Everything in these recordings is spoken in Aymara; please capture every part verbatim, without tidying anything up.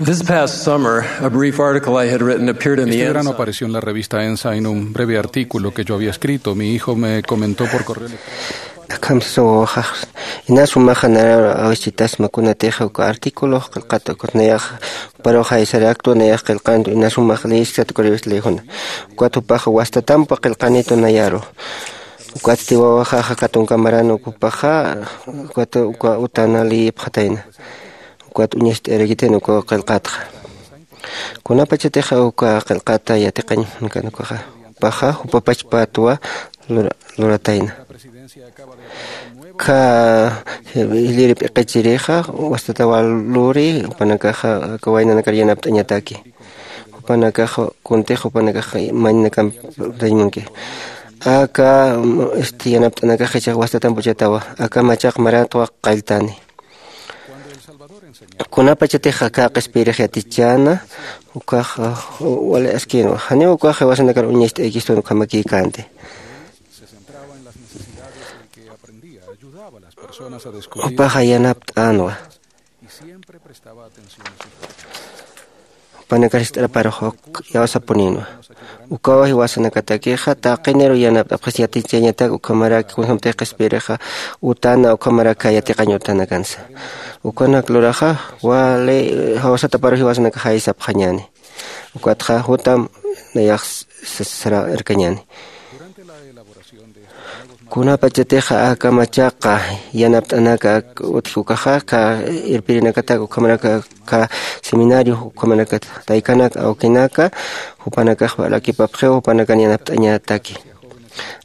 This past summer, a brief article I had written appeared in the Este verano Ensign. Apareció en la revista Ensign un breve artículo que yo había escrito. Mi hijo me comentó por correo electrónico. Akham sasa wawaxax, inas jumaxa narar awichitasma kunatixa uka artículo qillqata, ukat nayax juparuxa isar acto nayax qillqantu, inas jumax leyisktat uka revista leyjuna. Ukat jupaxa wastatampa qillqanitu nayaru. Ukatsti wawaxaxa katunka maran ukupaxa, ukat uka utana leyipxatayna. Ukat uñast'arakitayna uka qillqatxa. Kunapachatixa uka qillqata yatiqañ munkan ukaxa, jupaxa jupapachpatwa lura-, luratayna. Kha, eh, jiliri p'iqichirixa wastatawa luri, jupanakaxa aka waynanakar yanapt'añataki. Jupanakaxa kuntix jupanakaxa mañanakamp dañ munki. Aka, mm, este, yanapt'anakaxa ichax wastatamp uchatawa, aka machaq maratwa qalltani. Kunapachatix aka q'ispirix yatichäna, ukax, uh, wali askinwa. Janiw ukax jiwasanakar uñacht'aykistun ukhamakïkänti. Jupaxa yanapt'änwa. Jupanakar jist'araparux uk iyawsapunïnwa. Ukawa jiwasanakatakixa taqiniru yanapt'apxis yatichañatak, ukhamaraki kunjämtix q'ispirixa utana, ukhamaraki yatiqañ utanakansa. Ukanak luraxa wali, eh, jawsataparux jiwasanakax jaysapxañäni. Ukatxa jutam nayax s-, s-, sara irkañäni. Kunapachatixa aka machaqa yanapt'anaka utji ukaxa, aka irpirinakatak, ukhamaraki aka seminario, ukhamaraki taykanak, awkinaka, jupanakax valakipapxiw, jupanakan yanapt'añataki.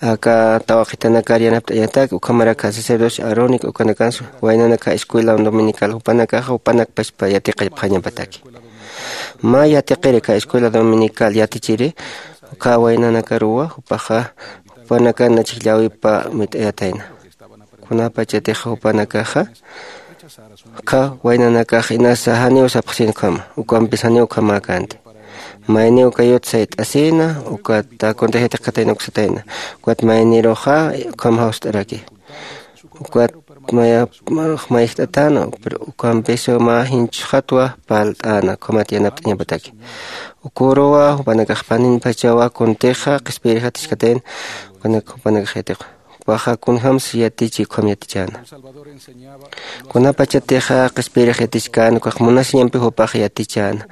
Aka tawaqitanakar yanapt'añataki, ukhamaraki sacerdocio Aarónico, ukanakansa waynanaka escuela dominical, jupanakaxa, jupanak pachpa yatiqipxañapataki. Mä yatiqiri aka escuela dominical yatichiri, uka waynanakaruwa, jupaxa, jupanakan nachik llawipa mit'ayatayna. Kunapachatixa jupanakaxa, uka waynanakax inasa janiw sapxsin ukhama, ukampis janiw ukhamäkänti. Mayniw kayut sayt'asïna, ukata kuntix yatiqkatayna uksatayna. Ukat mayniruxa, ukham jawst'araki. Ukat maya, mayjt'atäna, pero ukampis mä jinchxatwa parlt'äna, ukhamat yanapt'añapataki. Ukuruwa, jupanakax paninpachawa, kuntixa, q'ispirix yatichkatayna, ukanak jupanakax yatiqwa. Jupaxa kunjams yatichi, ukham yatichäna. Kunapachatixa q'ispirix yatichkän, ukax munasiñampi jupax yatichäna.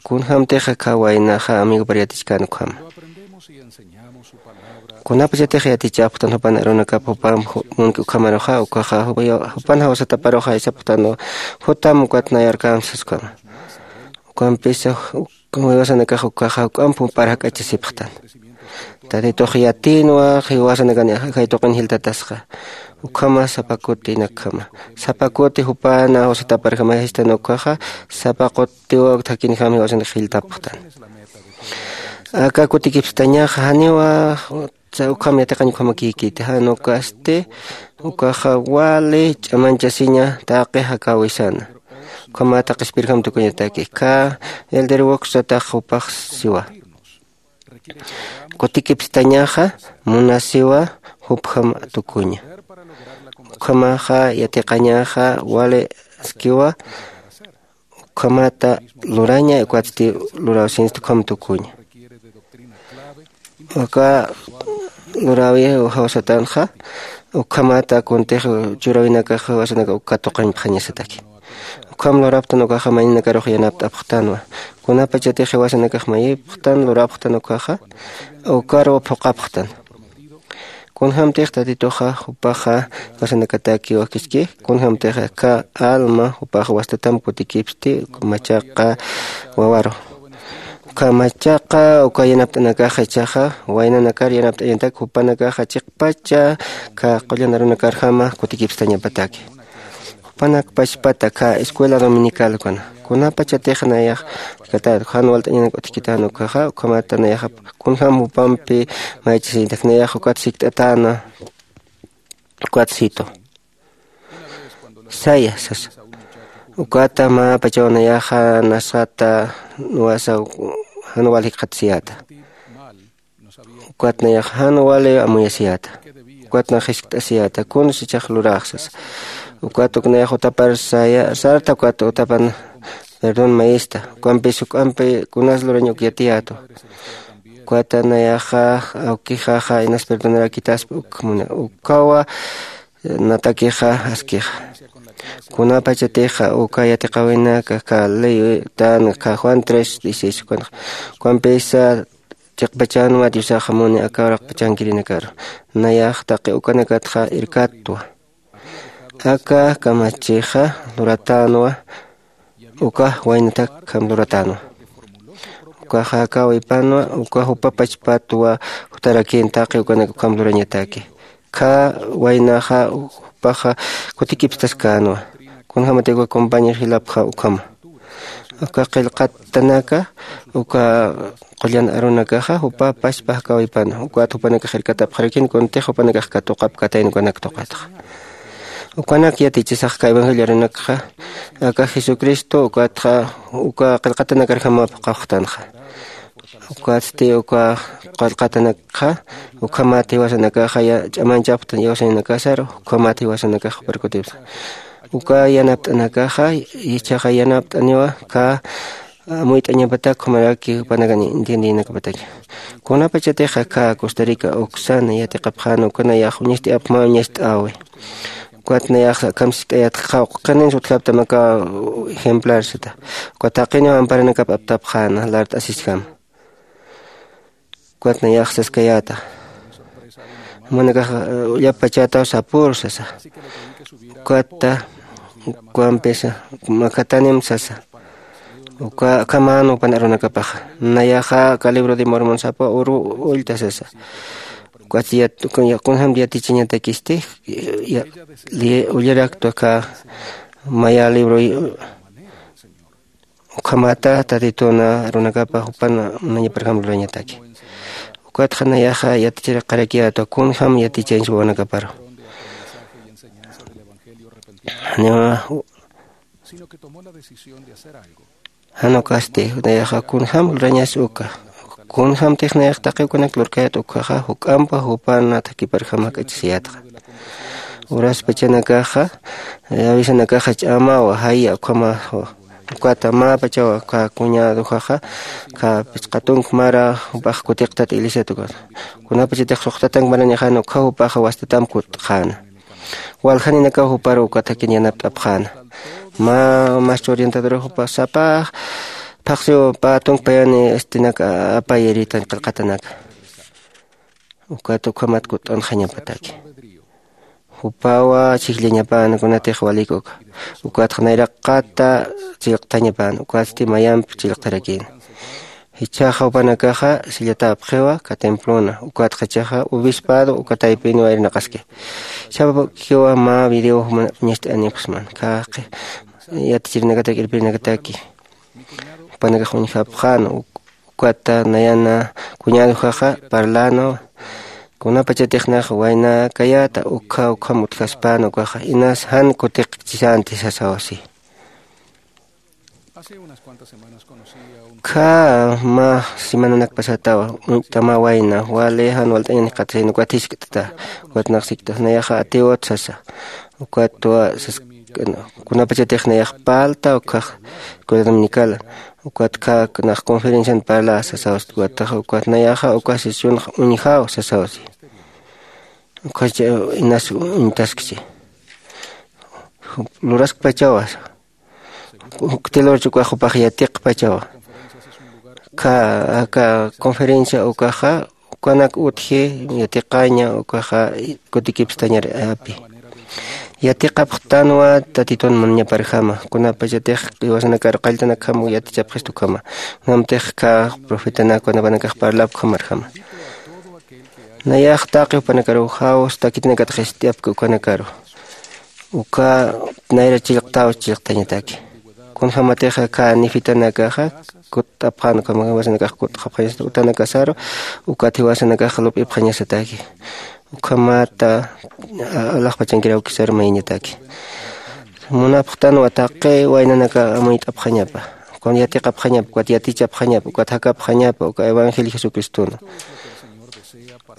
Kunjämtixa aka waynaxa amigopar yatichkän ukhama. Kunapachatix yatichapxtan jupan arunakap, jupan ju-, munki ukhamaruxa, ukaxa jupa-, jupan jawsataparuxa jaysapxtanwa, jutam ukat nayar kamsas ukhama. Ukampisa ju-, jiwasanakax ukaxa juk'amp jupar jak'achasipxtan. Tatitux yatïnwa jiwasanakan jay tuqin jiltatasxa. Ukhama sapa kuti inakjama. Sapa kuti jupana jawsataparjama jistan ukaxa, sapa kutiw thakinjam jiwasanak jiltapxtan. Aka kutikipstañaxa janiwa, sa ukham yatiqañ ukhamakïkiti, jan ukasti, ukaxa wali ch'amañchasiña taqi jakäwisana. Ukhamata q'ispirjam tukuñataki, aka Elder Wox satax jupax siwa. Kutikipstañaxa munasiwa jupjam tukuña. Ukhamaxa yatiqañaxa wali askiwa, ukhamata luraña, ukatsti lurawsinsti ukham tukuña. Aka luräwi jawsatanxa, ukhamata kuntix churäwinakax jawsanaka uka tuqañpxañasataki. Ukham lurapxtan ukaxa mayninakaruxa yanapt'apxtanwa. Kunapachatix jiwasanakax mayipxtan, lurapxtan ukaxa, ukaruw phuqhapxtan. Kunjämtix Tatituxa jupaxa jiwasanakataki wakiski, kunjämtix aka alma jupax wastatamp kutikipsti, machaqa wawaru. Uka machaqa, uka yanapt'anakaxa ichaxa, waynanakar yanapt'añatak jupanakaxa chiqpacha, aka qullan arunakarjama kutikipstañapataki. Jupanak pachpata aka escuela dominical ukana. Kunapachatix nayax, kata, jan walt'añanak utjkitän ukaxa, ukhamata nayax, kunjam jupampi maychasiñatak nayax, ukat sikt'atäna, ukat situ. Saya, sasa. Ukata mä pachaw nayaxa nasxata nuwasa jan wal jikxatasiyäta. Ukat nayax jan wali amuyasiyäta. Ukat nax jiskt'asiyäta. Kuns ichax lurax sasa. Ukat uk nayax utapar saya, sarta ukat utapan Perdón mayista. Ukampis juk'ampi kunas lurañ uk yatiyätwa. Ukata nayaxa awkixaxa inas perdonarakitaspa uk muna ukawa natakixa askixa. Kunapachatixa uka yatiqawinaka ka ley tan ka Juan tres dieciséis ukanxa, ukampisa chiqpachanwa diosaxa muni aka uraqpachankirinakaru. Nayax taqi ukanakatxa irkatwa. Aka kamachixa luratänwa. Uka waynatak ukham luratänwa. Ukaxa aka wipanwa uka jupa pachpatwa jutarakin taqi ukanak ukham lurañataki. Kha waynaxa jupaxa kutikipstaskänwa. Kunjämatik uka compañero jilapxa ukhama. Uka qillqatanaka uka qullan arunakaxa jupa pachpa jakawipan ukat jupanakax irkatapxarakin kuntix jupanakax katuqap katayn ukanak tuqatxa. Ukanak yatichisax ka evangelio arunakxa aka jesucristo ukatxa uka qillqatanakarjamap qawxtanxa. Ukatsti uka qillqatanakxa ukhamat jiwasanakaxa ch'amanchapxtan iwasañanakasaru ukhamat jiwasanakax juparkutipsa. Uka yanapt'anakaxa ichaxa yanapt'aniwa ka amuyt'añapatak jumaraki jupanakan entiendenakapataki. Kunapachatixa ka costa rica uksan yatiqapxäna ukanayax uñist'ayapxma uñist'äwi. Ukat nayax akham sikt'ayatxa qhininsa utjaptam aka ejemplar sata. Ukat taqiniw amparanakap aptapxäna lart'asisjama. Ukat nayax saskayäta jumanakax ullapachätaw sapür sasa. Ukatta ukampisa makatanim sasa. Uka akhamän jupan arunakapaxa nayaxa aka libro de mormon sapa uru ullta sasa. Ukatsi kunjämti yatichañatakisti ullaraktwa aka maya libro ukhamata tatituna runakapa jupan munañaparjam lurañataki. Ukatxa nayaxa yatichiraqarakiyätwa kunjäm yatichañsa wawanakaparu. Janiwa jan ukasti nayaxa kunjäm lurañas uka kunjämtix nayax taqi ukanak lurkayät ukhaxa juk'ampa jupan thakiparjam jak'achasiyätxa. Uraspachanakaxa avisanakaxa ch'amawa jaya ukhamaxwa. Ukata mäpachawa ka cuñadoxaxa ka pichqa tunk mara jupax kutiqtat iglesiat ukata kunapachatix suxtatank maranixäna ukha jupaxa wastatam kut'xäna. Waljaninakaw juparu uka thakin yanapt'apxäna. Mä maestro orientador jupa sapax phaxsiw pä tunk payani estinak apayiritañ qillqatanaka. Ukat ukhamat kut'unxañapataki. Jupawa chhijllañapäna kunatix walik uka ukatxa nayraqata chillqthañapäna ukatsti mayamp chillqtharakïna. Jichhaxa jupanakaxa sillatäpxiwa ka templona ukatxa jichhaxa obispado uka taypinwa irnaqaski. Chhapakiwa mä video juman uñast'anipxsman kaqi yatichirinakatak irpirinakataki. Jupanakax uñjapxän ukata nayana cuñadojaxa parlänawa. Kunapachatix nax waynakayäta ukha ukham utjaspän ukaxa inas jan kutiqchisänti sasaw si. Kha mä semananak pasatawa uñt'tamä wayna wali jan walt'añan jikxatasina ukat jiskt'ta. Ukat nax sikt'as nayaxa atiwat sasa. Ukatwa sas kunapachatix nayax palta ukhax escuela dominicala ukat kha nax conferencian parla sasaw si. Ukataxa ukat nayaxa uka sesionx uñjaw sasaw si. Ukhacha inas uñtaskchi luraskpachawa. Uktilur chukax jupax yatiqpachawa. Kha aka conferencia ukaxa ukanak utji yatiqaña ukaxa kutikipstañar api. Yatiqapxtanwa tatitun munañaparjama kunapachatix iwasanakar qalltanakjam yatichapxist ukhama. Kunamtix kha profetanak kunapanakax parlapxamarjama. Nayax taqi jupanakaruw jawsa takitinakatix ist'apki ukanakaru. Uka nayra chillqtaw chillqtañataki. Kunjämatixa kha nifitanakaxa kutt'apxän ukhamax jiwasanakax kutt'xapxañasata utanakasaru. Ukat jiwasanakax lup'ipxañasataki. Ukhamata alaxpachankirawkisaru mayañataki. Munapxtanwa taqi waynanaka amuyt'apxañapa ukat yatiqapxañapa ukat yatichapxañapa ukat jakapxañapa uka evangelio jesucristona.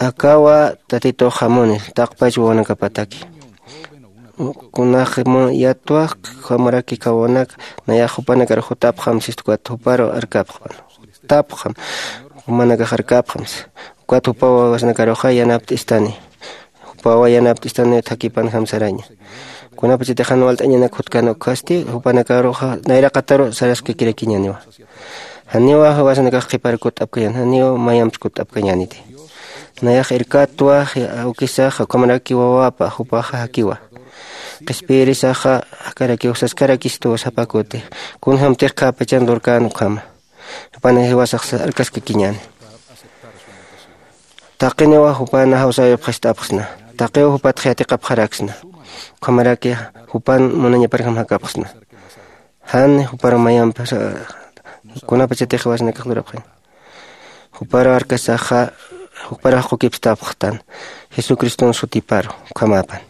Akawa tatitux jamuni taqpach wawanakapataki. Kunax mu yatwax, ukhamaraki kawunak nayax jupanakar jutapxam sistu, ukat juparu arkapxpan. Jutapxam, jumanakax arkapxam si. Ukat jupaw wawasanakaruxa yanapt'istani. Jupawa yanapt'istani, thakipanjam saraña. Kunapachatix jan walt'añanak jutkan ukhasti jupanakaruxa nayraqataru saraskakirakiñaniwa. Janiwa wawasanakax qhipar kutt'apkañän, janiw mayamps kutt'apkañäniti. Nayax irkatwa awkisaxa, ukhamaraki wawapa jupaxa jakiwa. Qhispiyirisaxa jakarakiw saskarakistuwa sapa kuti. Kunjämtix khäpachan lurkän ukhama. Jupan jiwasax arkaskakiñäni. Taqiniwa jupan jawsäwipxist'apxsna. Taqiw jupatx yatiqapxaraksna. Ukhamaraki jupan munañaparjam jakapxsna. Jan jupar mayamp kunapachatix jiwasanakax lurapxañ. Jupar arkasaxa, juparax qukipstapxtan jesucriston sutiparu. Ukhamapan.